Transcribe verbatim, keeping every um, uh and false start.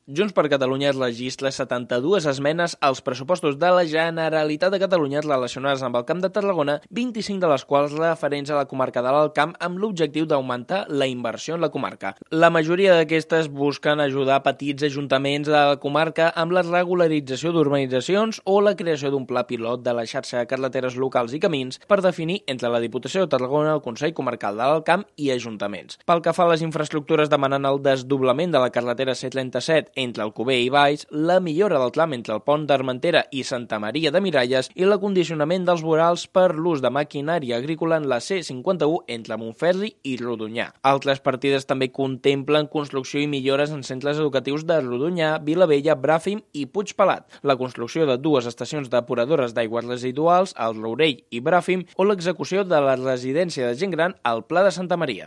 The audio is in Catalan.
Junts per Catalunya registra setanta-dues esmenes als pressupostos de la Generalitat de Catalunya relacionades amb el Camp de Tarragona, vint-i-cinc de les quals referents a la comarca de l'Alt Camp amb l'objectiu d'augmentar la inversió en la comarca. La majoria d'aquestes busquen ajudar petits ajuntaments de la comarca amb la regularització d'urbanitzacions o la creació d'un pla pilot de la xarxa de carreteres locals i camins per definir entre la Diputació de Tarragona, el Consell Comarcal de l'Alt Camp i ajuntaments. Pel que fa a les infraestructures, demanant el desdoblament de la carretera C trenta-set entre Alcover i Valls, la millora del tram entre el pont d'Armentera i Santa Maria de Miralles i l'acondicionament dels vorals per l'ús de maquinària agrícola en la C cinquanta-u entre Montferri i Rodonyà. Altres partides també contemplen construcció i millores en centres educatius de Rodonyà, Vilavella, Bràfim i Puigpelat, la construcció de dues estacions depuradores d'aigües residuals al Rourell i Bràfim o l'execució de la residència de gent gran al Pla de Santa Maria.